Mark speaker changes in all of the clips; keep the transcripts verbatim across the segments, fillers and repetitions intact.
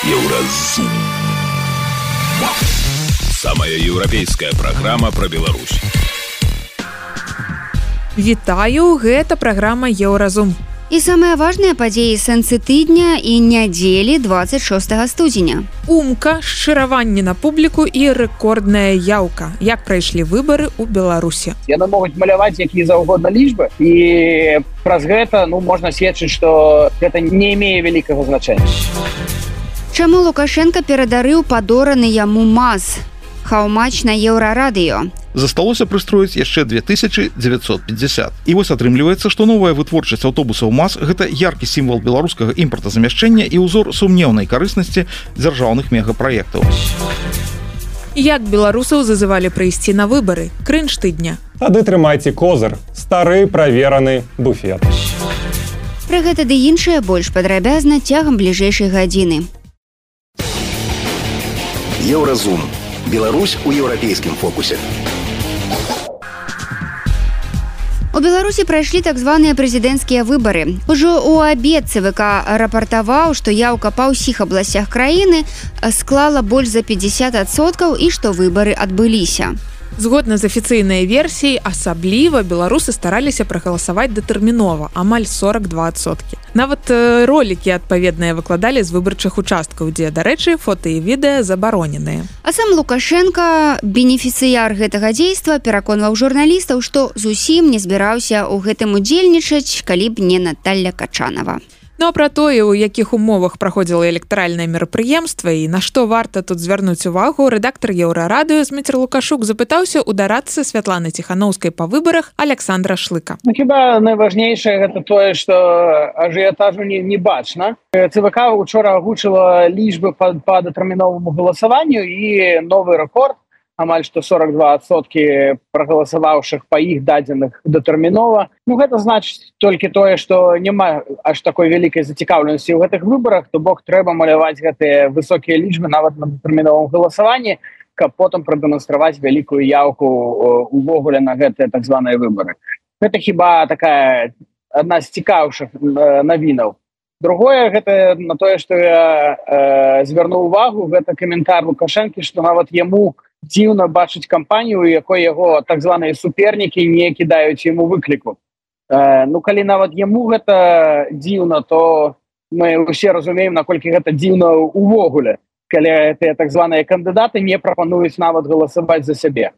Speaker 1: Еўразум. Самая еўрапейская праграма пра Беларусь.
Speaker 2: Вітаю, гэта праграма Еўразум.
Speaker 3: І самыя важныя падзеі сэнсы тыдня і нядзелі двадцать шостага студзеня.
Speaker 2: Умка, шчыраванне на публіку і рэкордная яўка. Як прайшлі выбары ў Беларусі?
Speaker 4: Яны могуць маляваць якія заўгодна лічбы, і праз гэта ну, можна сведчыць, што гэта не мее вялікага значэння.
Speaker 3: Чаму Лукашенка перадарыў падораны яму МАЗ? Хаўмач на Еўрарадыё.
Speaker 5: Засталося прыстроіць яшчэ две тысячы дзевяцьсот пятьдесят. І вось атрымліваецца, што новая вытворчасць аўтобусаў МАЗ гэта яркі сімвал беларускага імпартазамяшчэння і ўзор сумнеўнай карыснасці дзяржаўных мегапраектаў.
Speaker 2: Як беларусаў зазывалі прыйсці на выбары? Крынж тыдня.
Speaker 6: Тады трымайце козыр, стары правераны буфет.
Speaker 3: Пра гэта ды іншае больш падрабязна цягам бліжэйшай гадзіны.
Speaker 1: Еўразум. Беларусь у еўрапейскім фокусе.
Speaker 3: У Беларусі прайшлі так званыя прэзідэнцкія выбары. Ужо ў абед ЦВК рапартаваў, што яўка па ўсіх абласцях краіны склала больш за пятьдесят адсоткаў і што выбары адбыліся.
Speaker 2: Згодна з афіцыйнай версіяй, асабліва беларусы стараліся прагаласаваць датэрмінова, амаль сорок два адсоткі. Нават э, ролікі адпаведныя выкладалі з выбарчых участкаў, дзе, дарэчы, фота і відэа забароненыя.
Speaker 3: А сам Лукашенка, бенефіцыяр гэтага дзейства, пераконваў журналістаў, што зусім не збіраўся ў гэтым удзельнічаць, калі б не Наталья Качанова.
Speaker 2: Ну а пра тое, у якіх умовах праходзіла электаральнае мерапрыемства і на што варта тут звярнуць увагу, рэдактар Еўрарадыё Зміцер Лукашук запытаўся ў дарадцы Святланы Ціханаўскай па выбарах Александра Шлыка.
Speaker 4: Ну, хіба найважнейшае гэта тое, што ажыятажу не, не бачна. ЦВК учора агучыла лічбы па, па датэрміноваму галасаванню і новы рэкорд, амаль што сорок два адсоткі прагаласаваўшых па іх дадзеных датэрмінова. Ну, гэта значыць толькі тое, што няма аж такой вялікай зацікаўленасці ў гэтых выбарах, то бок трэба маляваць гэтыя высокія лічбы нават на датэрміновым галасаванні, каб потым прадэманстраваць вялікую яўку увогуле на гэтыя так званыя выбары. Гэта хіба такая адна з цікаўшых навінаў. Другое, гэта на тое, што я э, звярнуў увагу, гэта каментар Лукашэнкі, што нават яму дзіўна бачыць кампанію, у якой яго так званыя супернікі не кідаюць яму выкліку. Э, ну, калі нават яму гэта дзіўна, то мы ўсе разумеем, наколькі гэта дзіўна ўвогуле, калі гэтыя так званыя кандыдаты не прапануюць нават галасаваць за сябе.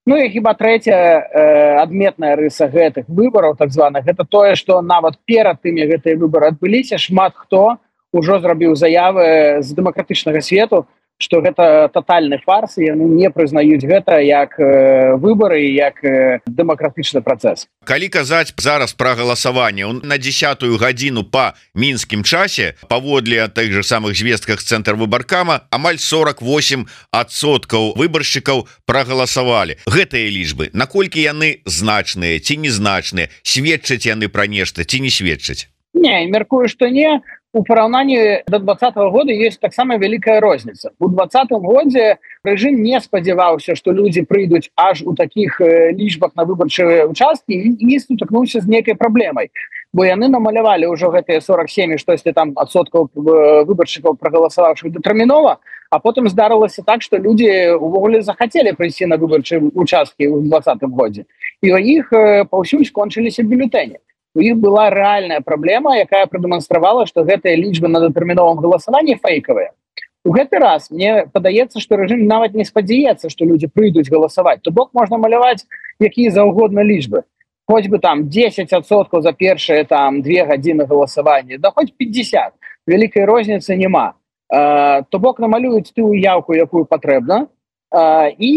Speaker 4: Ну і хіба трэцяя э, адметная рыса гэтых выбараў, так званых, гэта тое, што нават перад тымі гэтыя выбары адбыліся, шмат хто ўжо зрабіў заявы з дэмакратычнага свету, што гэта татальны фарс, і яны не прызнаюць гэта як э, выбары, як э, дэмакратычны працэс.
Speaker 7: Калі казаць зараз пра галасаванне, на дзесятую гадзіну па мінскім часе, паводле тых же самых звестках з цэнтр выбаркама, амаль сорок восемь адсоткаў выбаршчыкаў прагаласавалі. Гэтыя лічбы, наколькі яны значныя ці незначныя, сведчаць яны пра нешта ці не сведчаць?
Speaker 4: Не, мяркую, што не. У параўнанні да двадцатого года ёсць таксама вялікая розніца. У двадцатым годзе рэжым не спадзяваўся, што людзі прыйдуць аж у такіх лічбах на выбарчыя участкі і не сутыкнуўся з нейкай праблемай. Бо яны намалявалі ўжо гэтыя сорок семь штосьці там адсоткаў выбаршчыкаў прагаласаваўшых датэрмінова, а потым здарылася так, што людзі ўвогуле захацелі прыйсці на выбарчыя участкі ў двадцатым годзе. І у іх паўсюль скончыліся бюлетэні. У іх была рэальная праблема, якая прадэманстравала, што гэтыя лічбы на датэрміновым галасаванні фэйкавыя. У гэты раз мне падаецца, што рэжым нават не спадзяецца, што людзі прыйдуць галасаваць. То бок можна маляваць якія заўгодна лічбы. Хоць бы там дзесяць адсоткаў за першыя там две гадзіны галасавання, да хоць пятьдесят. Вялікай розніцы няма. То бок намалююць тую яўку, якую патрэбна, і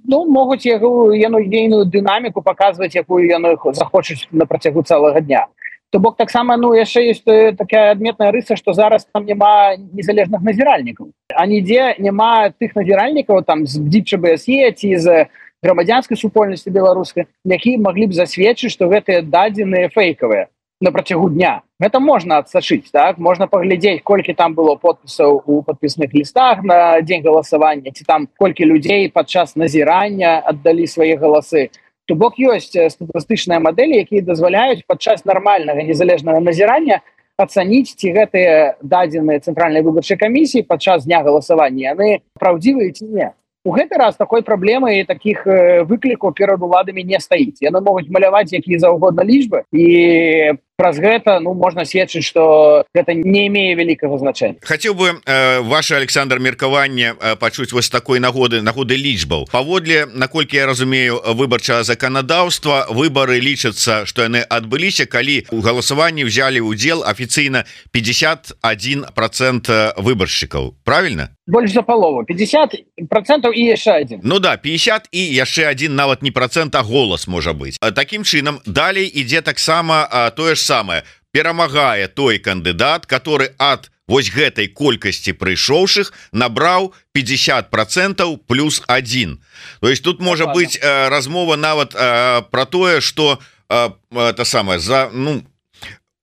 Speaker 4: ну, могуць яго ейную дынаміку паказваць, якую яны захочуць на працягу цэлага дня. То бок таксама ну, яшчэ ёсць такая адметная рыса, што зараз там няма незалежных назіральнікаў. А нідзе няма тых назіральнікаў там з ДЗБСЕ ці з грамадзянскай супольнасці беларускай, якія маглі б засведчыць, што гэтыя дадзеныя фэйкавыя на працягу дня. Гэта можна адсачыць, так? Можна паглядзець, колькі там было подпісаў у падпісных лістах на дзень галасавання, ці там колькі людзей падчас назірання аддалі свае галасы. То бок ёсць статыстычныя мадэлі, якія дазваляюць падчас нармальнага незалежнага назірання ацаніць, ці гэтыя дадзеныя цэнтральнай выбарчай камісіі падчас дня галасавання яны праўдзівыя ці не. У гэты раз такой праблемы і такіх выклікаў перад уладамі не стаіць. Яны могуць маляваць якія заўгодна лічбы, і праз гэта ну можна сведчыць, што гэта не имее вялікага значэння.
Speaker 7: Хацеў бы э, ваше, Александр, меркаванне э, пачуць вось такой нагоды нагоды лічбаў. Паводле, наколькі я разумею, выбарчага заканадаўства, выбары лічацца, што яны адбыліся, калі у галасаванні ўзялі ўдзел афіцыйна пятьдесят один процент выбаршчыкаў. Правильно?
Speaker 4: Больш за палову, пятьдесят процентов і яшчэ один.
Speaker 7: Ну да, пятьдесят і яшчэ один, нават не процент, а голас можа быць. Такім чынам далей ідзе таксама тое ж самае. Перамагае той кандыдат, который ад вось гэтай колькасці прыйшоўшых набраў пятьдесят процентов плюс один. То есть тут можа быць э, размова нават э, про тое, что э, это самое за ну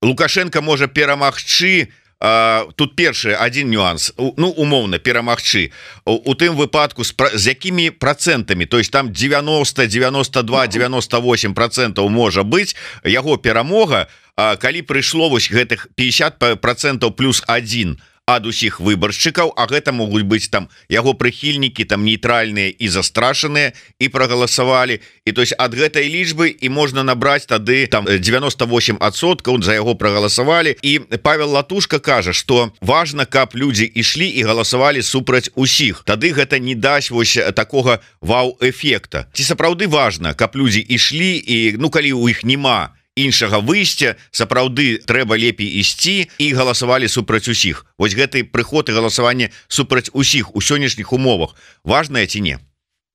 Speaker 7: Лукашенко можа перамагчы. Uh, тут першы один нюанс, ну умоўна перамагчы у, у тым выпадку з, з якімі процентамі, то есть там девяносто, девяносто два, девяносто восемь процентов можа быць яго перамога, uh, калі прыйшло вось гэтых пятьдесят процентов плюс один ад усіх выбаршчыкаў, а гэта могуць быць там яго прыхільнікі, там нейтральныя і застрашаныя і прагаласавалі, і то есть ад гэтай лічбы і можна набраць тады там девяносто восемь адсоткаў за яго прагаласавалі. І Павел Латушка кажа, што важна, каб людзі ішлі і галасавалі супраць усіх, тады гэта не дасць вось такога вау-эфекта. Ці сапраўды важна, каб людзі ішлі, і ну калі у іх няма іншага выйсця, сапраўды трэба лепей ісці і галасавалі супраць усіх. Вось гэты прыход і галасаванне супраць усіх у сённяшніх умовах важнае ці не?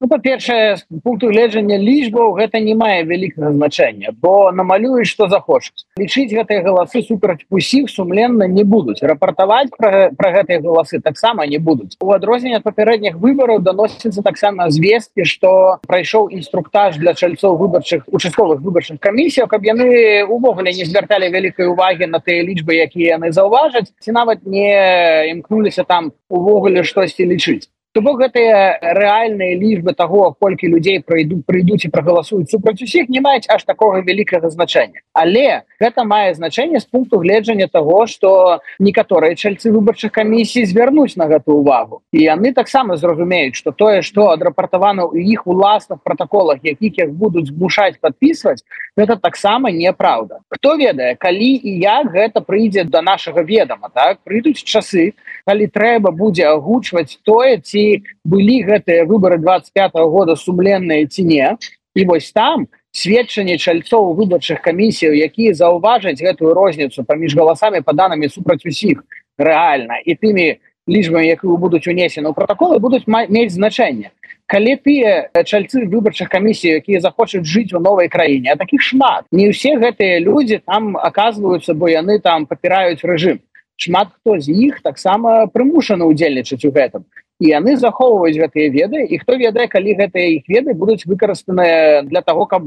Speaker 4: Ну, па-першае, з пункту гледжання лічбаў гэта не мае вялікага значэння, бо намалююць, што захочуць. Лічыць гэтыя галасы супраць усіх сумленна не будуць. Рапартаваць пра, пра гэтыя галасы таксама не будуць. У адрозненне ад папярэдніх выбараў даносіцца таксама звесткі, што прайшоў інструктаж для чальцоў выбарчых участковых выбарчых камісіяў, каб яны увогуле не звярталі вялікай увагі на тыя лічбы, якія яны заўважаць, ці нават не імкнуліся там увогуле штосьці лічыць. То бок гэтыя рэальныя лічбы таго, колькі людзей прыйдуць, прыйдуць і прагаласуюць супраць усіх, не маюць аж такога вялікага значэння. Але гэта мае значэнне з пункту гледжання таго, што некаторыя чальцы выбарчых камісій звярнуць на гэту ўвагу. І яны таксама зразумеюць, што тое, што адрапартавана ў іх уласных пратаколах, якіх іх будуць змушаць падпісваць, гэта таксама неправда. Хто ведае, калі і як гэта прыйдзе да нашага ведама, так? Прыйдуць часы, калі трэба будзе агучваць тое, ці былі гэтыя выбары двадцать пятого года сумленныя ці не. І вось там сведчанне чальцоў выбарчых камісіяў, якія заўважаць гэтую розніцу паміж галасамі паданымі супраць усіх рэальна і тымі лічбамі, якія будуць унесены ў пратаколы, будуць мець значэнне. Калі тыя чальцы выбарчых камісій, якія захочуць жыць у новай краіне, а такіх шмат, не ўсе гэтыя людзі там аказваюцца, бо яны там папіраюць рэжым. Шмат хто з іх таксама прымушаны ўдзельнічаць у гэтым. І яны захоўваюць гэтыя веды, і хто ведае, калі гэтыя іх веды будуць выкарыстаныя для таго, каб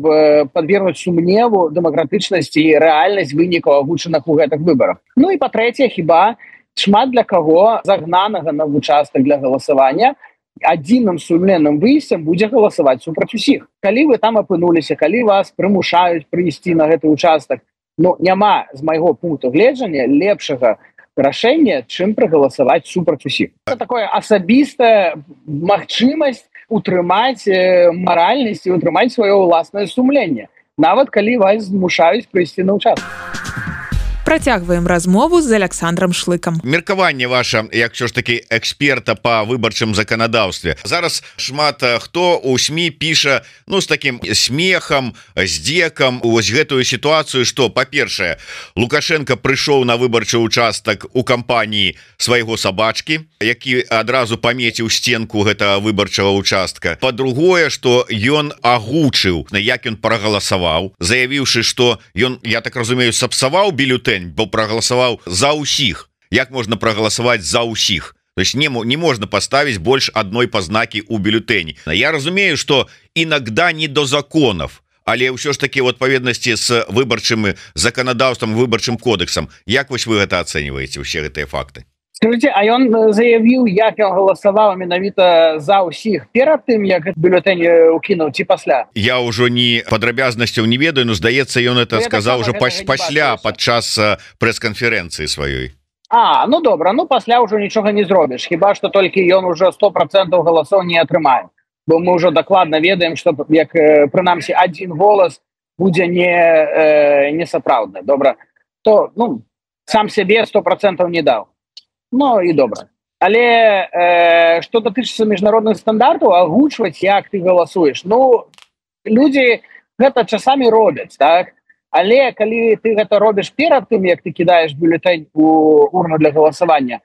Speaker 4: падвергнуць сумневу дэмакратычнасці і рэальнасць вынікаў агучаных у гэтых выбарах. Ну і па-трэцяе, хіба шмат для каго загнанага на участак для галасавання адзіным сумленным выйсцем будзе галасаваць супраць усіх. Калі вы там апынуліся, калі вас прымушаюць прыйсці на гэты участак, ну няма з майго пункту гледжання лепшага рашэнне, чым прагаласаваць супраць усіх. Это такое асабістая магчымасць утрымаць маральнасць і утрымаць сваё ўласнае сумленне, нават калі вас змушаюць прыйсці на ўчастак.
Speaker 2: Працягваем размову з Александром Шлыкам.
Speaker 7: Меркаванне ваша, як ўсё ж такі эксперта па выбарчым заканадаўстве. Зараз шмат хто ў СМІ піша, ну, з такім смехам, здзекам вось гэтую сітуацыю, што, па-першае, Лукашенко прыйшоў на выбарчы ўчастак у кампаніі свайго сабачкі, які адразу памеціў сценку гэтага выбарчага ўчастка. Па-другое, што ён агучыў, як ён прагаласаваў, заявіўшы, што ён, я так разумею, сапсаваў бюлетэнь, бо прагаласаваў за ўсіх. Як можна прагаласаваць за ўсіх? То есть не, не можна поставить больше одной познаки у бюллетени. Я разумею, что иногда не до законов, але ўсё ж таки в адпаведнасці с выбарчым законодаўством, выбарчым кодексом. Як вось вы гэта ацэньваеце, усе гэтыя факты?
Speaker 4: Скажите, а ён заявіў, як ён галасаваў менавіта за ўсіх перад тым, як бюлетень укінуў ці пасля?
Speaker 7: Я ўжо не падрабязнасцяў не ведаю, но здаецца, ён это
Speaker 4: Ну,
Speaker 7: сказаў
Speaker 4: так
Speaker 7: уже
Speaker 4: само
Speaker 7: пас-
Speaker 4: гэтага не
Speaker 7: пасля
Speaker 4: бачыўся.
Speaker 7: падчас прэс-канферэнцыі сваёй.
Speaker 4: А, ну добра, ну пасля ўжо нічога не зробіш, хіба што толькі ён уже сто процентаў галасоў не атрымае. Бо мы ўжо дакладна ведаем, што як прынамсі адзін голас будзе не, э, не сапраўдны. Добра, то ну, сам сябе сто процентаў не даў. Ну і добра. Але э, што датычыцца міжнародных стандартаў, агучваць, як ты галасуеш. Ну, людзі гэта часамі робяць, так? Але калі ты гэта робіш перад тым, як ты кідаеш бюлетень у урну для галасавання,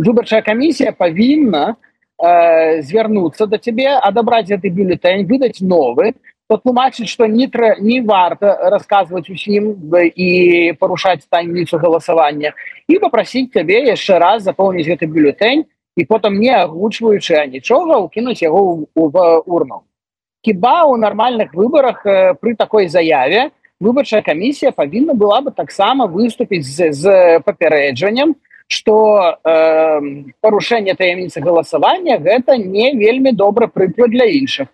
Speaker 4: выбарчая камісія павінна э, звярнуцца да цябе, адабраць гэты бюлетень, выдаць новы, патлумачыць, што не, тра, не варта расказваць усім і парушаць таямніцу галасавання, і папрасіць цябе яшчэ раз запоўніць гэты бюлетень і потым, не агучваючы нічога, укінуць яго ў, ў урну. Хіба ў нармальных выбарах э, пры такой заяве выбарчая камісія павінна была бы таксама выступіць з, з папярэджаннем, што э, парушэнне таямніцы галасавання гэта не вельмі добры прыклад для іншых.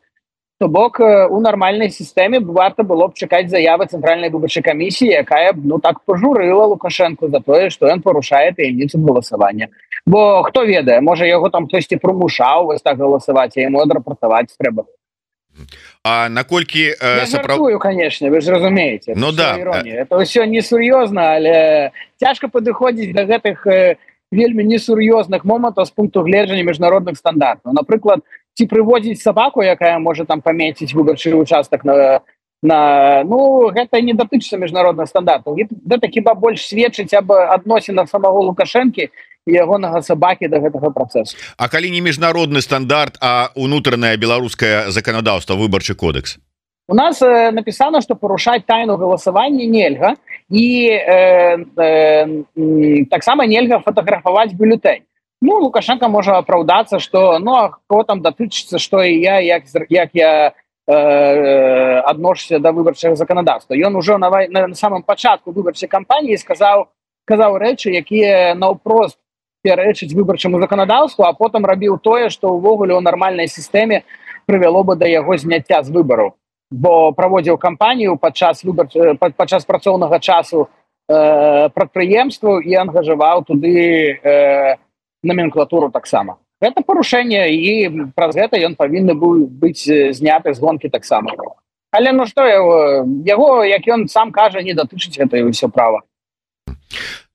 Speaker 4: То бок у нармальнай сістэме варта было б чакаць заявы цэнтральнай выбарчай камісіі, якая б ну так пажурыла Лукашэнку за тое, што ён парушае таямніцу галасавання. Бо хто ведае, можа яго там хтосьці прымушаў вось так галасаваць, а яму адрапартаваць трэба.
Speaker 7: А наколькі
Speaker 4: Я жартую, конечно, вы ж разумееце.
Speaker 7: Ну да.
Speaker 4: Это ўсё несур'ёзна, але цяжка падыходзіць да гэтых вельмі несур'ёзных момантаў з пункту гледжання міжнародных стандартаў. Напрыклад, ці прыводзіць сабаку, якая можа там памеціць выбарчы участак на, на ну гэта не датычыцца міжнародных стандартаў. Гэта хіба больш сведчыць аб адносінах самого Лукашэнкі і ягонага сабакі да гэтага працэсу.
Speaker 7: А калі не міжнародны стандарт, а унутранае беларускае заканадаўства, выбарчы кодекс?
Speaker 4: У нас э, написано, что порушать тайну голосования нельга, и э, э, так само нельга фотографовать бюллетень. Ну, Лукашенко может оправдаться, что, ну, а кого там дотычится, что и я, як, як я э, отношуся до выборчего законодавства. И он уже на, на, на самом початку выборчей кампании сказал, сказал речи, якія наўпрост перечыць выборчему законодавству, а потом робил тое, что увогуле у нормальной системе привело бы до его снятия с выборов. Бо праводзіў кампанію падчас выбар падчас працоўнага часу э, прадпрыемстваў і ангажаваў туды э, номенклатуру таксама. Гэта парушэнне, і праз гэта ён павінны быў быць зняты з гонкі таксама. Але ну што яго, яго, як ён сам кажа, не датычыць гэта і ўсё права.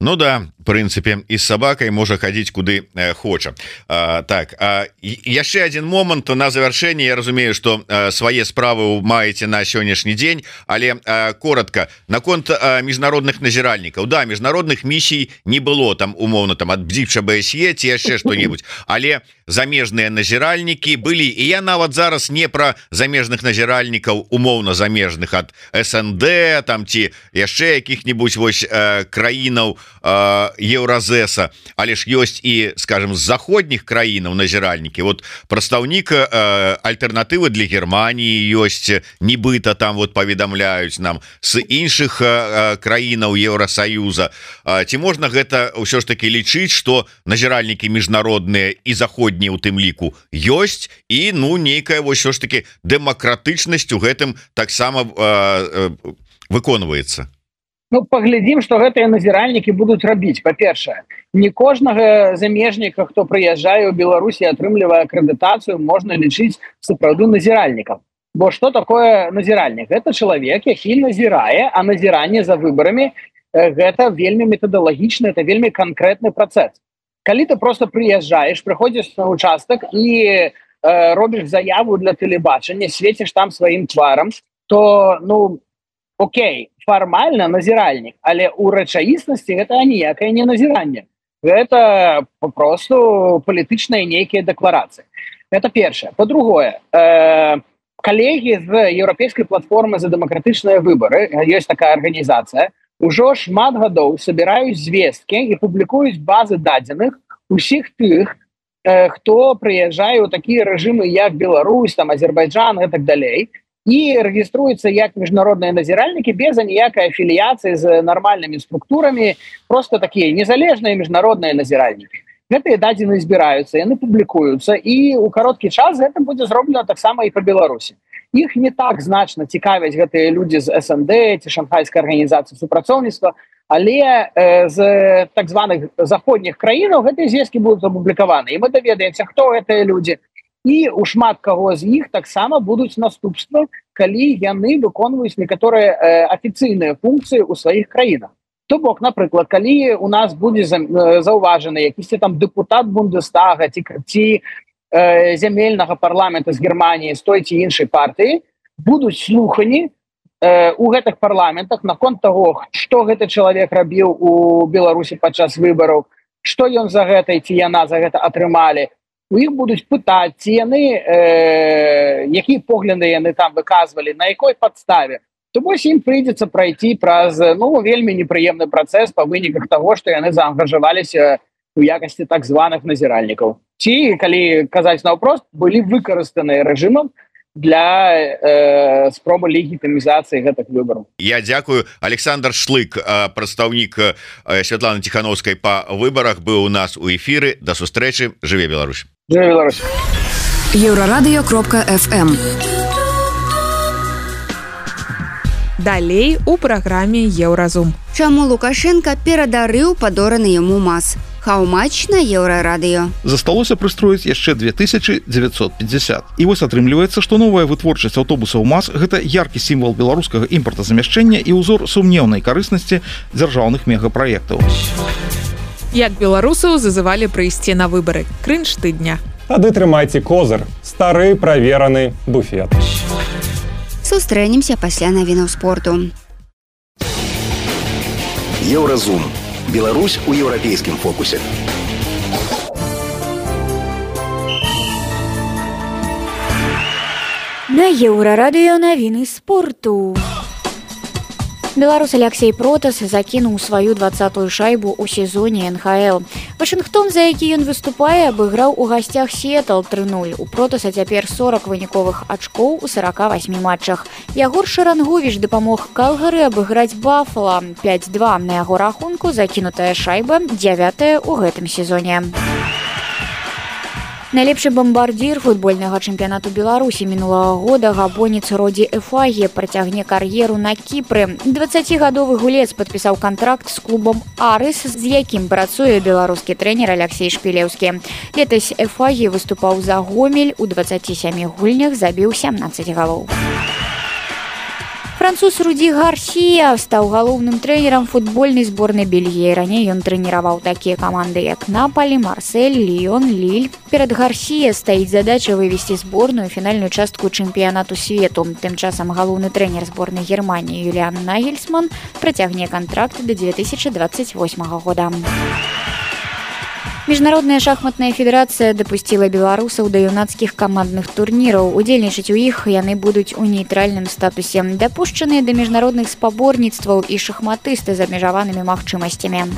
Speaker 7: Ну да, в прынцыпе, і з сабакай можа хадзіць куды э, хоча. А, так, а, яшчэ один момант на завяршэнне. Я разумею, што э, свае справы маеце на сённяшні дзень, але э, коротко наконт э, міжнародных назіральнікаў. Да, міжнародных місій не было там умоўна там ад бдзіча БСЕ ці яшчэ што-небудзь, але замежныя назіральнікі былі, і я нават зараз не пра замежных назіральнікаў умоўна замежных ад СНД там ці яшчэ якіх-небудзь вось э, краінаў Еўразеса, але ж ёсць і, скажем, з заходніх краінаў назіральнікі. Вот прадстаўнік э, альтэрнатывы для Германії ёсць, нібыта там вот паведамляюць нам з іншых э, краінаў Еўросаюза. Э, ці можна гэта ўсё ж таки лічыць, што назіральнікі міжнародныя і заходнія у тым ліку ёсць, і ну нейкая вось ўсё ж таки дэмакратычнасць у гэтым таксама э, э, выконваецца?
Speaker 4: Ну, паглядзім, што гэтыя назіральнікі будуць рабіць. Па-першае, не кожнага замежніка, хто прыязджае ў Беларусь і атрымлівае акрэдытацыю, можна лічыць сапраўды назіральнікам. Бо што такое назіральнік? Гэта чалавек, які назірае, а назіранне за выбарамі гэта вельмі метадалагічны, это вельмі канкрэтны працэс. Калі ты просто прыязджаеш, прыходзіш на участак і э, робіш заяву для тэлебачання, свеціш там сваім тварам, то, ну, окей, фармальна назіральнік, але ў рэчаіснасці гэта ніякае не назіранне. Гэта папросту палітычныя нейкія дэкларацыі. Это першае. Па-другое, э, калегі з еўрапейскай платформы за дэмакратычныя выбары, ёсць такая арганізацыя, ужо шмат гадоў сабіраюць звесткі і публікуюць базы дадзеных усіх тых, э, хто прыязджае ў такія рэжымы, як Беларусь, там, Азербайджан і так далей, і рэгіструюцца як міжнародныя назіральнікі без аніякай афіліяцыі з нармальнымі структурамі, просто такія незалежныя міжнародныя назіральнікі. гэтыя дадзеныя збіраюцца, яны публікуюцца, і ў кароткі час гэта будзе зроблена таксама і па Беларусі. Іх не так значна цікавяць гэтыя людзі з эс эм дэ ці шанхайскай арганізацыі супрацоўніцтва, але э, з так званых заходніх краінаў гэтыя звесткі будуць апублікаваны. І мы даведаемся, хто гэтыя людзі. І у шмат каго з іх таксама будуць наступствы, калі яны выконваюць некаторыя э, афіцыйныя функцыі ў сваіх краінах. То бок, напрыклад, калі у нас будзе заўважаны якісьці там дэпутат Бундестага ці, ці э, зямельнага парламента з Германіі, з той ці іншай партыі, будуць слухані э, у гэтых парламентах наконт таго, што гэты чалавек рабіў у Беларусі падчас выбараў, што ён за гэта ці яна за гэта атрымалі. У іх будуць пытаць, ці яны, э, якія погляды яны там выказвалі, на якой падставе. То вось ім прыйдзецца прайти праз ну, вельмі непрыемны працэс па выніках таго, што яны заангажаваліся ў якасці так званых назіральнікаў. Ці, калі казаць наўпрост, былі выкарыстаныя рэжымам для э, спробы легітымізацыі гэтых выбараў.
Speaker 7: Я дзякую. Александр Шлык, прадстаўнік Святланы Ціхановскай па выбарах, быў у нас у эфіры. Да сустрэчы. Жыве Беларусь.
Speaker 4: Жыве Беларусь.
Speaker 8: еўрарадыё кропка эф эм.
Speaker 2: Далей у праграме Еўразум.
Speaker 3: Чаму Лукашенко перадарыў падораны яму маз? Хау-мач на Еўрарадыё.
Speaker 5: Засталося прыстроіць яшчэ две тысячы дзевяцьсот пятьдесят. І вось атрымліваецца, што новая вытворчасць аўтобусаў МАЗ – гэта яркі сімвал беларускага імпартазамяшчэння і ўзор сумнеўнай карыснасці дзяржаўных мегапраектаў.
Speaker 2: Як беларусаў зазывалі прыйсці на выбары. Крынж тыдня.
Speaker 6: Тады трымайце козыр. Стары правераны буфет.
Speaker 3: Сустрэнемся пасля навінаў спорту.
Speaker 1: Еўразум. Беларусь у еўрапейскім фокусе.
Speaker 9: На Еўрарадыё навіны спорту. Беларус Алексей Протас закінуў сваю двадцатую шайбу ў сезоне эн ха эл. Вашынгтон, за які ён выступае, абыграў у гасцях Сіэтл тры нуль. У Протаса цяпер сорок выніковых ачкоў у сарака васьмі матчах. Ягор Шаранговіч дапамог Калгары абыграць Бафала. пяць два на яго рахунку, закінутая шайба дзявятая ў гэтым сезоне. Найлепшы бамбардзір футбольнага чэмпіянату Беларусі мінулага года габонец Роді Эфагі працягне кар'еру на Кіпры. дваццацігадовы гулец падпісаў кантракт з клубам «Арыс», з якім працуе беларускі трэнер Алексей Шпілеўскі. Летась Эфагі выступаў за Гомель, у дваццаці сямі гульнях забіў сямнаццаць галоў. Француз Руді Гарсія стаў галоўным трэнерам футбольнай зборнай Бельгіі. Раней ён трэніраваў такія каманды, як Напалі, Марсель, Ліён, Ліль. Перад Гарсія стаіць задача вывесці зборную фінальную частку чэмпіянату свету. Тым часам галоўны трэнер зборнай Германіі Юліан Нагельсман працягне кантракт да дзве тысячы дваццаць восьмага года. Міжнародная шахматная федэрацыя дапусціла беларусаў да юнацкіх камандных турніраў. Удзельнічаць у іх яны будуць у нейтральным статусе. Дапушчаныя да міжнародных спаборніцтваў і шахматысты з абмежаванымі магчымасцямі.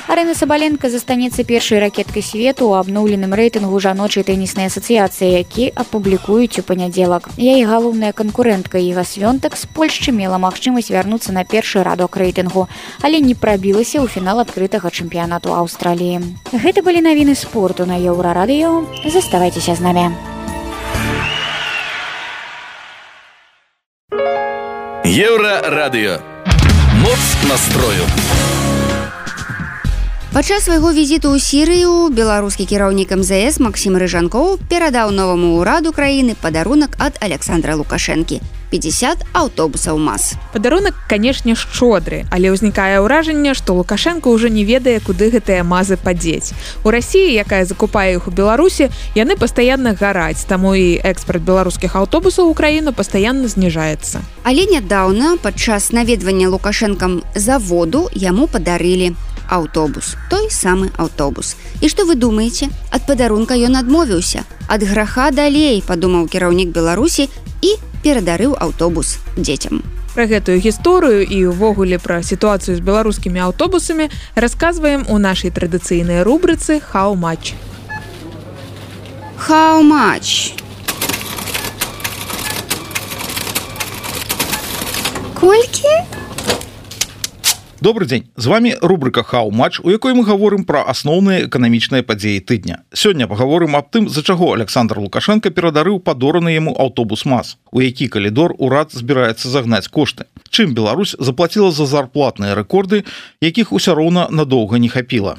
Speaker 9: Арына Сабаленка застанецца першай ракеткай свету ў абноўленым рэйтынгу жаночай тэніснай асацыяцыі, які апублікуюць у панядзелак. Яе галоўная канкурэнтка Іга Свёнтак з Польшчы мела магчымасць вярнуцца на першы радок рэйтынгу, але не прабілася ў фінал адкрытага чэмпіянату Аўстраліі. Гэта былі навіны спорту на Еўрарадыё. Заставайцеся з намі.
Speaker 10: Еўрарадыё. Моц настрою.
Speaker 3: Падчас свайго візіту ў Сірыю беларускі кіраўнік эм зэ эс Максім Рыжанкоў перадаў новаму ўраду краіны падарунак ад Александра Лукашэнкі – пятьдесят аўтобусаў МАЗ.
Speaker 2: Падарунак, канешне, шчодры, але ўзнікае ўражанне, што Лукашенко ўжо не ведае, куды гэтыя мазы падзець. У Расіі, якая закупае іх у Беларусі, яны пастаянна гараць, таму і экспарт беларускіх аўтобусаў у краіну пастаянна зніжаецца. Але
Speaker 3: нядаўна, падчас наведвання Лукашэнкам заводу, яму падарылі аўтобус, той самы аўтобус. І што вы думаеце? Ад падарунка ён адмовіўся. Ад граха далей, падумаў кіраўнік Беларусі і перадарыў аўтобус дзецям.
Speaker 2: Пра гэтую гісторыю і ўвогуле пра сітуацыю з беларускімі аўтобусамі расказваем у нашай традыцыйнай рубрыцы «Хау-мач».
Speaker 3: Хау-мач. Колькі?
Speaker 5: Добрый дзень, з вами рубрика «Хау-матч», у якой мы гаворым пра асноўныя эканамічныя падзеі тыдня. Сёння пагаворым аб тым, за чаго Александр Лукашенко перадарыў падораны яму аўтобус МАЗ, у які калідор урад збіраецца загнаць кошты. Чым Беларусь заплаціла за зарплатныя рэкорды, якіх усё роўна надоўга не хапіла.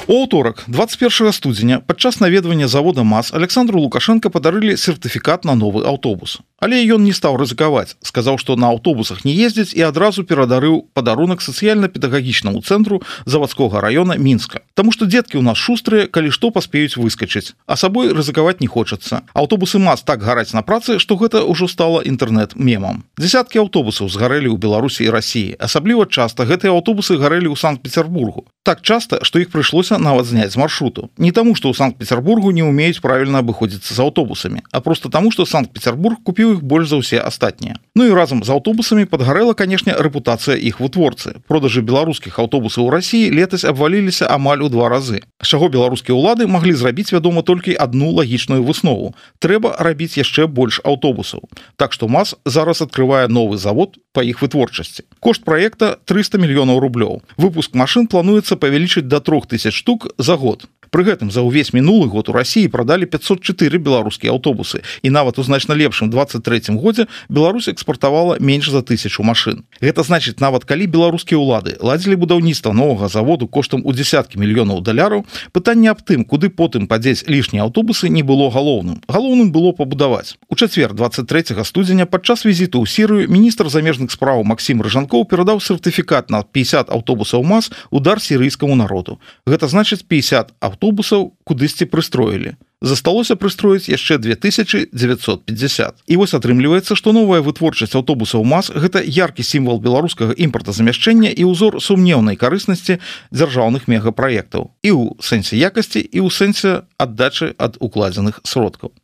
Speaker 5: У аўторак, двадцать первого студзеня, падчас наведвання завода МАЗ Александру Лукашенко падарылі сертыфікат на новы аўтобус. Але ён не стаў рызыкаваць, сказаў, што на аўтобусах не ездзіць і адразу перадарыў падарунак сацыяльна-педагагічнаму цэнтру завадскога раёна Мінска. Таму што дзеткі ў нас шустрыя, калі што паспеюць выскачыць, а сабой рызыкаваць не хочацца. Аўтобусы МАЗ так гараць на працы, што гэта ўжо стала інтэрнэт-мемам. Дзесяткі аўтобусаў згарэлі ў Беларусі і Расіі. Асабліва часта гэтыя аўтобусы гарэлі ў Санкт-Петербургу. Так часта, што іх прыйшлося нават зняць з маршруту. Не таму, што ў Санкт-Петербургу не ўмеюць правільна абыходзіцца з аўтобусамі, а проста таму, што Санкт-Петербург купіў іх больш за ўсе астатнія. Ну і разам з аўтобусамі падгарэла, канешне, рэпутацыя іх вытворцы. Продажы беларускіх аўтобусаў у Расіі летась абваліліся амаль у два разы. З чаго беларускія ўлады маглі зрабіць, вядома, толькі адну лагічную выснову. Трэба рабіць яшчэ больш аўтобусаў. Так што МАЗ зараз адкрывае новы завод па іх вытворчасці. Кошт праекта триста мільёнаў рублёў. Выпуск машын плануецца павялічыць да трох тысяч штук за год. Пры гэтым за ўвесь мінулы год у Расіі прадалі пятьсот четыре беларускія аўтобусы, і нават у значна лепшым двадцать третьем годзе Беларусь экспартавала менш за тысячу машын. Гэта значыць, нават калі беларускія ўлады ладзілі будаўніцтва новага заводу коштам у дзесяткі мільёнаў даляраў, пытанне аб тым, куды потым падзець лішнія аўтобусы, не было галоўным. Галоўным было пабудаваць. У чацвер двадцать третьего студзеня падчас візіту ў Сірыю міністр замежных спраў Максім Рыжанкоў перадаў сертыфікат на пятьдесят аўтобусаў МАЗ у дар сірыйскаму народу. Гэта значыць пятьдесят аўтобусаў кудысьці прыстроілі. Засталося прыстроіць яшчэ две тысячи девятьсот пятьдесят. І вось атрымліваецца, што новая вытворчасць аўтобусаў МАЗ – гэта яркі сімвал беларускага імпартазамяшчэння і ўзор сумнеўнай карыснасці дзяржаўных мегапраектаў. І ў сэнсе якасці, і ў сэнсе аддачы ад укладзеных сродкаў.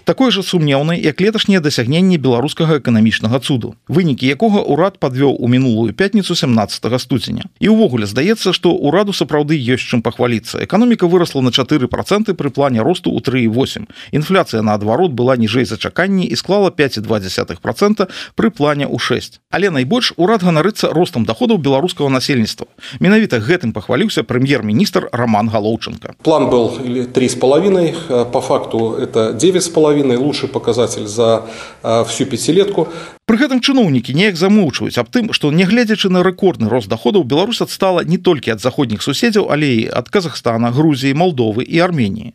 Speaker 5: Такой жа сумнеўнай, як леташнія дасягненні беларускага эканамічнага цуду, вынікі якога ўрад падвёў у мінулую пятніцу семнадцатого студзеня. І ўвогуле здаецца, што ўраду сапраўды ёсць чым пахваліцца. Эканоміка вырасла на чатыры проценты пры плане росту ў тры і восемь. Інфляцыя, наадварот, была ніжэй за чаканні і склала пять і два десятых процента пры плане ў шесть. Але найбольш урад ганарыцца ростам даходаў беларускага насельніцтва. Менавіта гэтым пахваліўся прэм'ер-міністр Роман Галоўченко.
Speaker 11: План был три с половиной, по факту это девять с половиной. Лучший показатель за э, всю пятилетку.
Speaker 5: Пры гэтым чыноўнікі неяк замоўчваюць аб тым, што нягледзячы на рэкордны рост даходаў, Беларусь адстала не толькі ад заходніх суседзяў, але і ад Казахстана, Грузіі, Малдовы і Арменіі.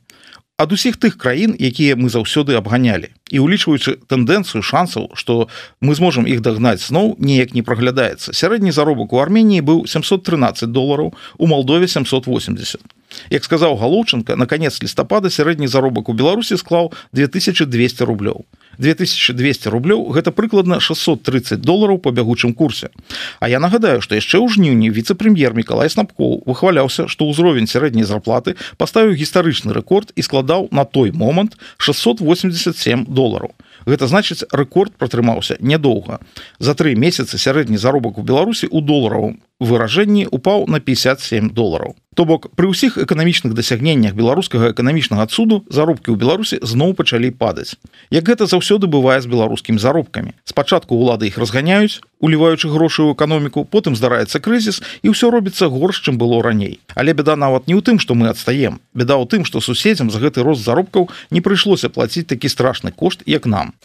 Speaker 5: Ад усіх тых краін, якія мы заўсёды абганялі. І улічваючы тэндэнцыю шансаў, што мы зможам іх дагнаць зноў, неяк не праглядаецца. Сярэдні заробак у Арменіі быў семьсот тринадцать долараў, у Малдове семьсот восемьдесят. Як сказаў Галоўченко, на канец лістапада сярэдні заробак у Беларусі склаў две тысячи двести рублёў. две тысячи двести рублёў – гэта прыкладна шестьсот тридцать долараў по бягучым курсе. А я нагадаю, што яшчэ ў жніўні віцэ-прэм'ер Мікалай Снапкоў выхваляўся, што ўзровень сярэдняй зарплаты паставіў гістарычны рэкорд і складаў на той момант шестьсот восемьдесят семь долараў. Гэта значыць, рэкорд пратрымаўся нядоўга. За тры месяцы сярэдні заробак у Беларусі ў доларавым выражэнні упаў на пятьдесят семь долараў. То бок, пры ўсіх эканамічных дасягненнях беларускага эканамічнага цуду заробкі ў Беларусі зноў пачалі падаць. Як гэта заўсёды бывае з беларускімі заробкамі. Спачатку ўлады іх разганяюць, уліваючы грошы ў эканоміку, потым здараецца крызіс і ўсё робіцца горш, чым было раней. Але бяда нават не ў тым, што мы адстаем. Бяда ў тым, што суседзям за гэты рост заробкаў не прыйшлося плаціць такі страшны кошт, як нам.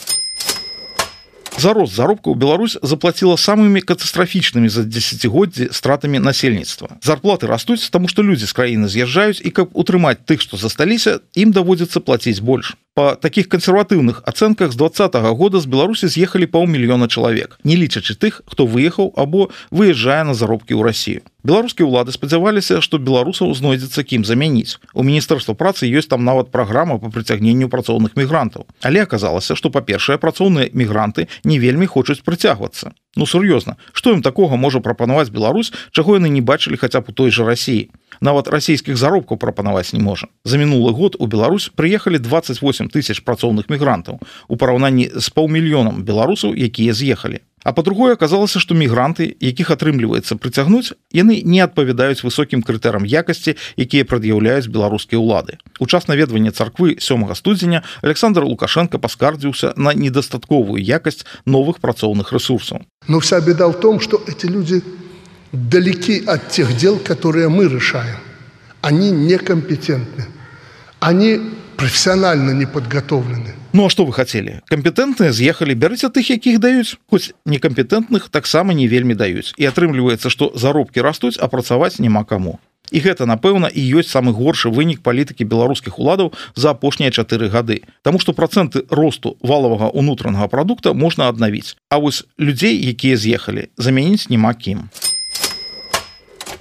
Speaker 5: За рост заробкаў Беларусь заплаціла самымі катастрафічнымі за дзесяцігоддзі стратамі насельніцтва. Зарплаты растуць, таму што людзі з краіны з'язджаюць, і каб утрымаць тых, што засталіся, ім даводзіцца плаціць больш. Па такіх кансерватыўных ацэнках з двадцатого года з Беларусі з'ехалі паўмільёна чалавек, не лічачы тых, хто выехаў або выязджае на заробкі ў Расію. Беларускія ўлады спадзяваліся, што беларусаў знойдзецца кім замяніць. У Міністэрства працы ёсць там нават праграма па прыцягненню працоўных мігрантаў. Але аказалася, што, па-першае, працоўныя мігранты не вельмі хочуць прыцягвацца. Ну, сур'ёзна, што ім такога можа прапанаваць Беларусь, чаго яны не бачылі хаця б у той жа Расіі? Нават расійскіх заробкаў прапанаваць не можа. За мінулы год у Беларусь прыехалі двадцать восемь тысяч працоўных мігрантаў у параўнанні з паўмільёнам беларусаў, якія з'ехалі. А па-другое, аказалася, што мігранты, якіх атрымліваецца прыцягнуць, яны не адпавядаюць высокім крытэрам якасці, якія прад'яўляюць беларускія ўлады. У час наведвання царквы сёмага студзеня Александр Лукашенко паскардзіўся на недастатковую якасць новых працоўных рэсурсаў.
Speaker 12: Но вся беда в том, что эти люди далеки от тех дел, которые мы решаем. Они некомпетентны. Они профессионально не подготовлены.
Speaker 5: Ну а что вы хотели? Компетентныя з'ехалі, бярыце тых, якіх даюць. Хоць некампетентных таксама не вельмі даюць. І атрымліваецца, што заробкі растуць, а працаваць няма каму. І гэта, напэўна, і ёсць самы горшы вынік палітыкі беларускіх уладаў за апошнія чатыры гады. Таму што працэнты росту валавага ўнутранага прадукта можна аднавіць. А вось людзей, якія з'ехалі, замяніць няма кім.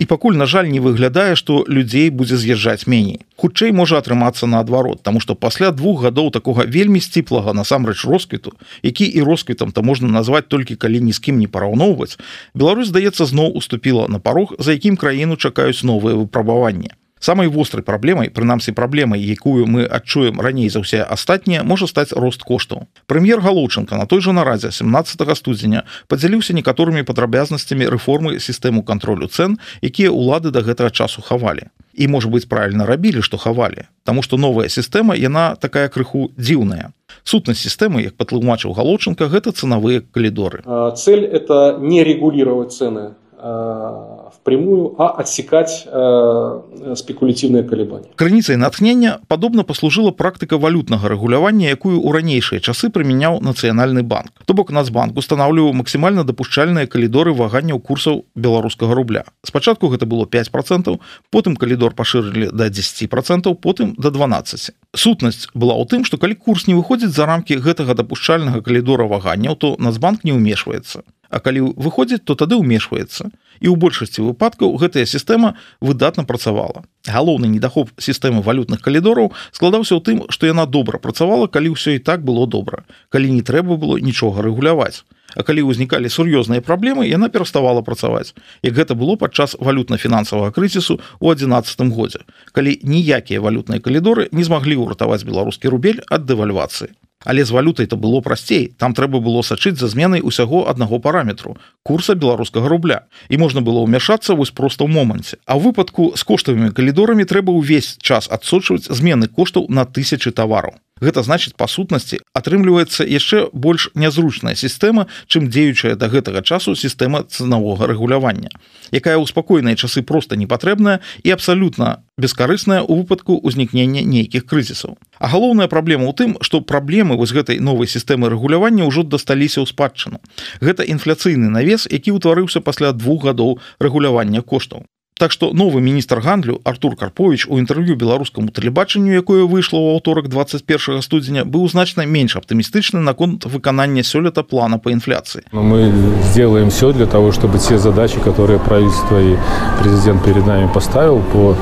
Speaker 5: І пакуль, на жаль, не выглядае, што людзей будзе з'язджаць меней. Хутчэй можа атрымацца наадварот, таму што пасля двух гадоў такога вельмі сціплага насамрэч росквіту, які і росквітам-то можна назваць толькі калі ні з кім не параўноўваць, Беларусь, здаецца, зноў уступіла на парог, за якім краіну чакаюць новыя выпрабаванні. Самай вострай праблемай, прынамсі праблемай, якую мы адчуем раней за ўсе астатнія, можа стаць рост коштаў. Прэм'ер Галоўчынка на той жа нарадзе семнаццатага студзеня падзяліўся некаторымі падрабязнасцямі рэформы сістэму кантролю цэн, якія ўлады да гэтага часу хавалі. І, можа быць, правільна рабілі, што хавалі, таму што новая сістэма, яна такая крыху дзіўная. Сутнасць сістэмы, як патлумачыў Галоўчынка, гэта цэнавыя калідоры.
Speaker 11: Цель – это не регулировать цены впрямую, а отсекать э, спекулятивные колебания.
Speaker 5: Крыніцай натхнення падобна паслужыла практыка валютнага рэгулявання, якую ў ранейшыя часы прымяняў Нацыянальны банк. То бок Нацбанк устанаўліваў максімальна дапушчальныя калідоры ваганняў курсаў беларускага рубля. Спачатку гэта было пяць процентаў, потым калідор пашырылі да дзесяць процентаў, потым да дванаццаць. Сутнасць была ў тым, што калі курс не выходзіць за рамкі гэтага дапушчальнага калідора ваганняў, то Нацбанк не ўмешваецца. А калі выходзіць, то тады ўмешваецца. І ў большасці выпадкаў гэтая сістэма выдатна працавала. Галоўны недахоп сістэмы валютных калідораў складаўся ў тым, што яна добра працавала, калі ўсё і так было добра, калі не трэба было нічога рэгуляваць. А калі ўзнікалі сур'ёзныя праблемы, яна пераставала працаваць, як гэта было падчас валютна-фінансавага крызісу ў адзінаццатым годзе, калі ніякія валютныя калідоры не змаглі ўратаваць беларускі рубель ад дэвальвацыі. Але з валютай-то было прасцей, там трэба было сачыць за зменай усяго аднаго параметру – курса беларускага рубля. І можна было ўмяшацца вось проста ў моманце. А ў выпадку з коштавымі калідорамі трэба ўвесь час адсочваць змены коштаў на тысячы тавараў. Гэта значыць, па сутнасці, атрымліваецца яшчэ больш нязручная сістэма, чым дзеючая да гэтага часу сістэма цэнавога рэгулявання, якая ў спакойныя часы проста непатрэбная і абсалютна бескарысная ў выпадку ўзнікнення нейкіх крызісаў. А галоўная праблема ў тым, што праблемы вось гэтай новай сістэмы рэгулявання ўжо дасталіся ў спадчыну. Гэта інфляцыйны навес, які ўтварыўся пасля двух гадоў рэгулявання коштаў. Так што новы міністр гандлю Артур Карпович у інтэрв'ю беларускаму тэлебачанню, якое выйшло ў аўторак двадцать первого студзеня, быў значна менш аптымістычны наконт выканання сёлета плана по инфляции.
Speaker 6: Мы сделаем все для того, чтобы те задачи, которые правительство и президент перед нами поставил по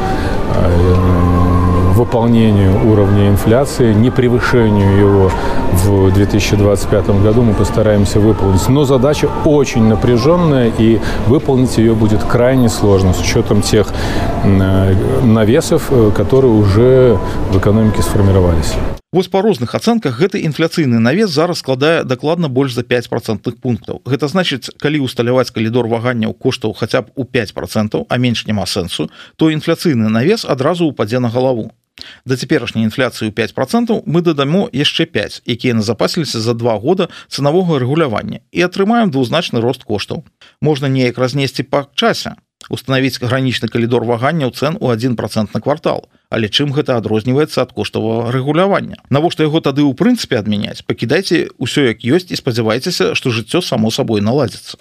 Speaker 6: выполнению уровня инфляции, не превышению его в две тысячи двадцать пятом году, мы постараемся выполнить. Но задача очень напряженная, и выполнить ее будет крайне сложно с учетом тех навесов, которые уже в экономике сформировались.
Speaker 5: Вось па розных ацэнках гэты інфляцыйны навес зараз складае дакладна больш за пяць процентных пунктаў. Гэта значыць, калі усталяваць калідор ваганняў коштаў хаця б у пяць процентаў, а менш няма сэнсу, то інфляцыйны навес адразу ўпадзе на галаву. Да цяперашняй інфляцыі ў пяць процентаў мы дадамо яшчэ пяць, якія назапасіліся за два года цэнавога рэгулявання, і атрымаем двузначны рост коштаў. Можна неяк разнесці па часе, устанавіць гранічны калідор ваганняў цэн у адзін процент на квартал. Але чым гэта адрозніваецца ад коштавага рэгулявання? Навошта яго тады ў прынцыпе адмяняць? Пакідайце ўсё як ёсць і спадзявайцеся, што жыццё само сабой наладзіцца.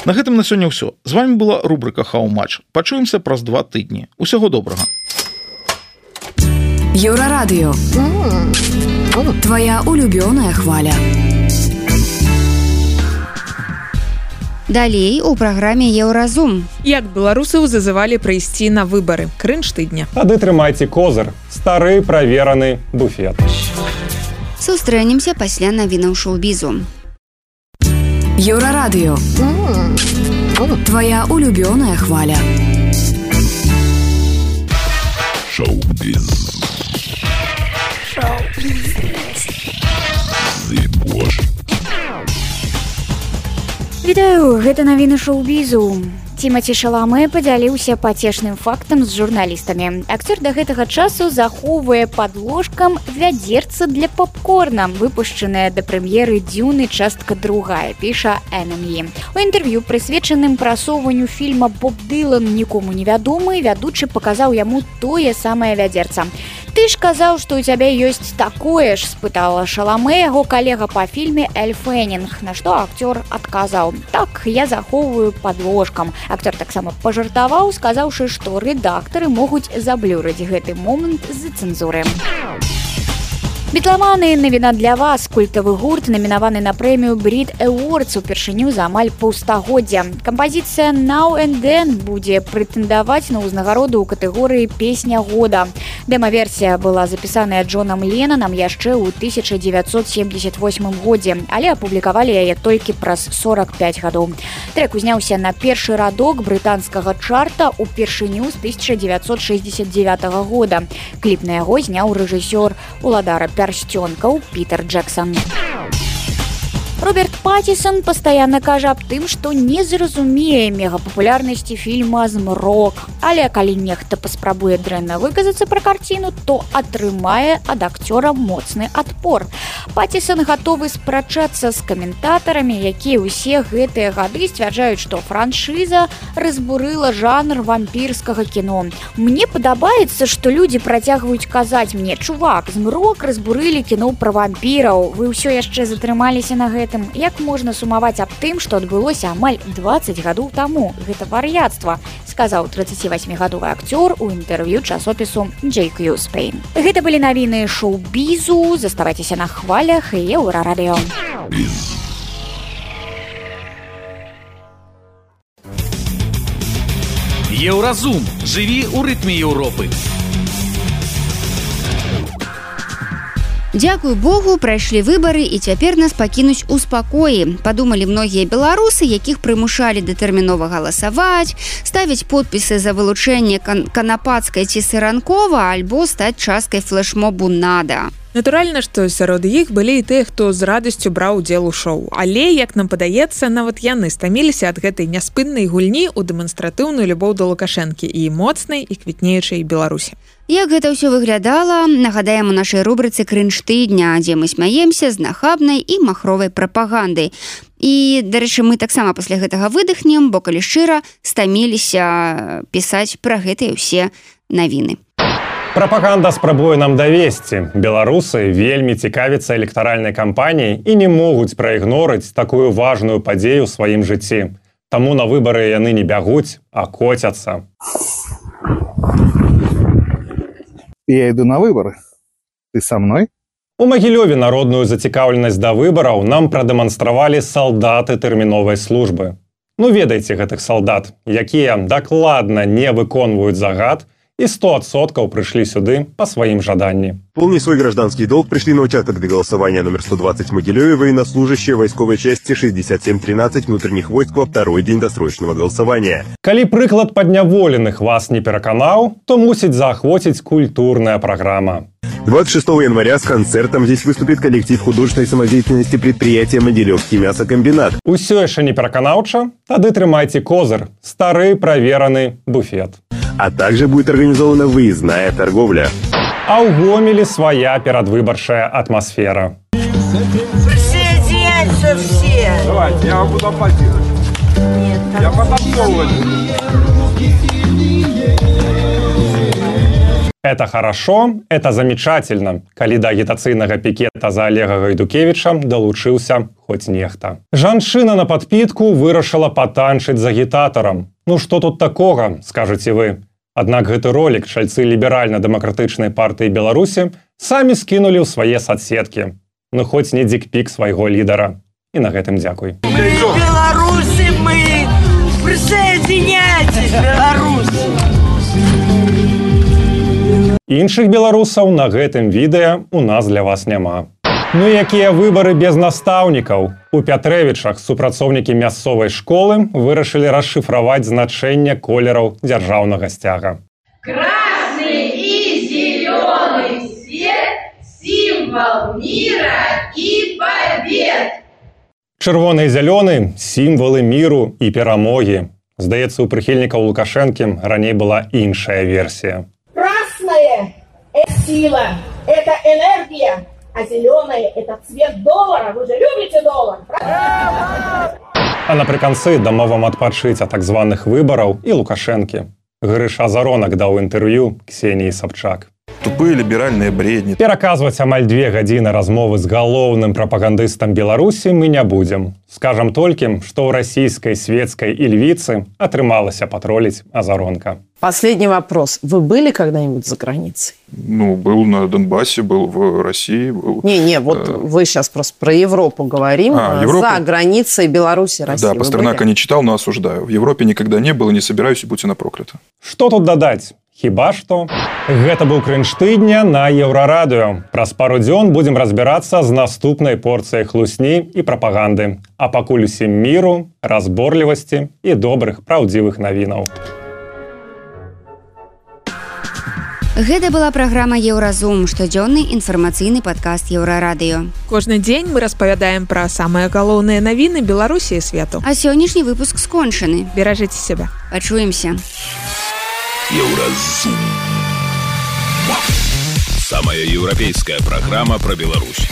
Speaker 5: На гэтым на сёння ўсё. З вами была рубрика How Much. Пачуемся праз два тыдні. Усяго добрага.
Speaker 8: Еўрарадыё. Твоя улюбёная хваля.
Speaker 3: Далей у праграме Еўразум.
Speaker 2: Як беларусаў зазывалі прыйсці на выбары. Крынж тыдня.
Speaker 6: Тады трымайце козыр. Стары правераны буфет.
Speaker 3: Сустрэнемся пасля навінаў шоу-бізу.
Speaker 8: Еўрарадыё. Твоя улюбёная хваля.
Speaker 10: Шоу-біз.
Speaker 9: Вітаю, гэта навіны шоу-бізу. Тимати Шаламе падзяліўся пацешным фактам з журналістамі. Акцёр да гэтага часу захоўвае пад ложкам вядзерца для попкорна, выпушчанае да прэм'еры «Дзюны. Частка другая», піша эн эм і. У інтэрв'ю, прысвечаным прасоўванню фільма «Боб Дылан. Нікому невядомы», вядучы паказаў яму тое самае вядзерца. «Ты ж казаў, што ў цябе ёсць такое ж», спытала Шаламе яго калега па фільме Эль Фэннінг, на што акцёр адказаў: «Так, я захоўваю пад ложкам». Акцёр таксама пажартаваў, сказаўшы, што рэдактары могуць заблюрыць гэты момант з-за цэнзуры. Бітламаны, навіна для вас. Культавы гурт намінаваны на прэмію Brit Awards упершыню за амаль паўстагоддзя. Кампазіцыя Now and Then будзе прэтэндаваць на ўзнагароду ў катэгорыі «Песня года». Дэма-версія была запісаная Джонам Леннанам яшчэ ў тысяча дзевяцьсот семьдесят восьмым годзе, але апублікавалі яе толькі праз сорок пять гадоў. Трэк узняўся на першы радок брытанскага чарта упершыню з тысяча дзевяцьсот шэсцьдзесят дзевятага года. Кліп на яго зняў рэжысёр уладара пярсцёнкаў Пітер Джексон. Роберт Паттисон пастаянна кажа аб тым, што не зразумее мегапапулярнасці фільма «Змрок». Але калі нехта паспрабуе дрэнна выказацца пра карціну, то атрымае ад акцёра моцны адпор. Паттисон гатовы спрачацца з каментатарамі, якія ўсе гэтыя гады сцвярджаюць, што франшыза разбурыла жанр вампірскага кіно. Мне падабаецца, што людзі працягваюць казаць мне: «Чувак, «Змрок» разбурылі кіно пра вампіраў. Вы ўсё яшчэ затрымаліся на гэтым. Як можна сумаваць аб тым, што адбылося амаль дваццаць гадоў таму? Гэта вар'яцтва», сказаў трыццацівасьмігадовы акцёр у інтэрв'ю часопісу джей кью Spain. Гэта былі навіны шоу-бізу. Заставайцеся на хвалях і Еўрарадыё.
Speaker 13: Еўразум. Жыві ў рытме Еўропы.
Speaker 3: Дзякуй Богу, прайшлі выбары і цяпер нас пакінуць у спакоі. Падумалі многія беларусы, якіх прымушалі датэрмінова галасаваць, ставіць подпісы за вылучэнне кан- канапацкай ці сыранкова, альбо стаць часткай флэшмобу «Нада».
Speaker 2: Натуральна, што сярод іх былі і тыя, хто з радасцю браў удзел у шоу. Але, як нам падаецца, нават яны стаміліся ад гэтай няспыннай гульні ў дэманстратыўную любоў да Лукашэнкі і моцнай і квітнеючай Беларусі.
Speaker 3: Як гэта ўсё выглядала, нагадаем у нашай рубрыцы «Крынж тыдня», дзе мы смяемся з нахабнай і махровай прапагандай. І, дарэчы, мы таксама пасля гэтага выдыхнем, бо, калі шчыра, стаміліся пісаць пра гэтыя ўсе навіны.
Speaker 14: Прапаганда спрабуе нам давесці. Беларусы вельмі цікавяцца электаральнай кампаніяй і не могуць праігнорыць такую важную падзею ў сваім жыцці. Таму на выбары яны не бягуць, а коцяцца.
Speaker 15: Я иду на выборы. Ты со мной?
Speaker 14: У Магілёве народную зацікаўленасць да выбараў нам прадэманстравалі салдаты тэрміновай службы. Ну, ведаеце гэтых салдат, якія дакладна не выконваюць загад и сто процентов пришли сюда по своим жаданням.
Speaker 16: Помни свой гражданский долг, пришли на участок для голосования номер сто двадцать в Могилеве военнослужащие войсковой части шестьдесят семь тринадцать внутренних войск во второй день досрочного голосования.
Speaker 14: Калі прыклад падняволеных вас не пераканаў, то мусіць заахвоціць культурная программа.
Speaker 16: двадцать шестого января с концертом здесь выступит коллектив художественной самодеятельности предприятия «Могилевский мясокомбинат».
Speaker 14: Усё яшчэ не пераканаўча? Тады трымайце козыр, стары правераны буфет.
Speaker 16: А также будет организована выездная торговля.
Speaker 14: А ў Гомелі своя перадвыбарчая атмосфера.
Speaker 17: Присоединяйтесь все!
Speaker 18: Давайте, я вам буду аплодировать.
Speaker 17: Нет,
Speaker 18: я потанцовываю.
Speaker 14: Это хорошо, это замечательно, калі да агітацыйнага пікета за Олега Гайдукевіча далучыўся хоць нехта. Жанчына на падпітку вырашыла патанчыць з агітатарам. Ну што тут такога, скажаце вы? Аднак гэты ролик чальцы ліберальна-дэмакратычнай партыі Беларусі самі скінулі ў свае соцсеткі. Ну хоць не дикпік свайго лідара. І на гэтым дзякуй.
Speaker 17: Мы беларусы, мы! Присоединяйтесь, беларусы!
Speaker 14: Іншых беларусаў на гэтым відэа у нас для вас няма. Ну якія выбары без настаўнікаў? У Пятрэвічах супрацоўнікі мясцовай школы вырашылі расшыфраваць значэнне колераў дзяржаўнага сцяга.
Speaker 19: Красный и зеленый цвет – символ мира и побед.
Speaker 14: Чырвоны і зялёны – сімвалы міру і перамогі. Здаецца, у прыхільнікаў Лукашэнкі раней была іншая версія.
Speaker 20: Красная – это сила, это энергия, а зеленая – это цвет доллара. Вы же любите доллар, правда?
Speaker 14: А напрыканцы дамовам адпачыць ад так званых выбараў і Лукашэнкі. Грыша Заронак даў інтэрв'ю Ксеніі Сабчак.
Speaker 21: Тупые либеральные бредни.
Speaker 14: Пераказваць амаль две гадзіны размовы з галоўным прапагандыстам Беларусі мы не будзем. Скажам толькі, што ў расійскай светскай ільвіцы атрымалася патроліць Азаронка.
Speaker 22: Последний вопрос. Вы были когда-нибудь за границей?
Speaker 21: Ну, был на Донбассе, был в России. Был...
Speaker 22: Не-не, вот э... вы сейчас просто про Европу говорим.
Speaker 21: А, Европу?
Speaker 22: За границей Беларуси, России.
Speaker 21: Да, Пастернака не читал, но осуждаю. В Европе никогда не было, не собираюсь, и будьте на проклято.
Speaker 14: Что тут додать? Хіба што? Гэта быў крынж тыдня на Еўрарадыё. Праз пару дзён будзем разбірацца з наступнай порцыяй хлусні і прапаганды. А пакуль усім міру, разборлівасці і добрых, праўдзівых навінаў.
Speaker 3: Гэта была праграма «Еўразум», штодзённы інфармацыйны падкаст Еўрарадыё.
Speaker 2: Кожны дзень мы распавядаем пра самыя галоўныя навіны Беларусі і свету.
Speaker 3: А сённяшні выпуск скончаны.
Speaker 2: Беражыце сябе.
Speaker 3: Пачуемся.
Speaker 10: Еўразум. Самая еўрапейская программа про Беларусь.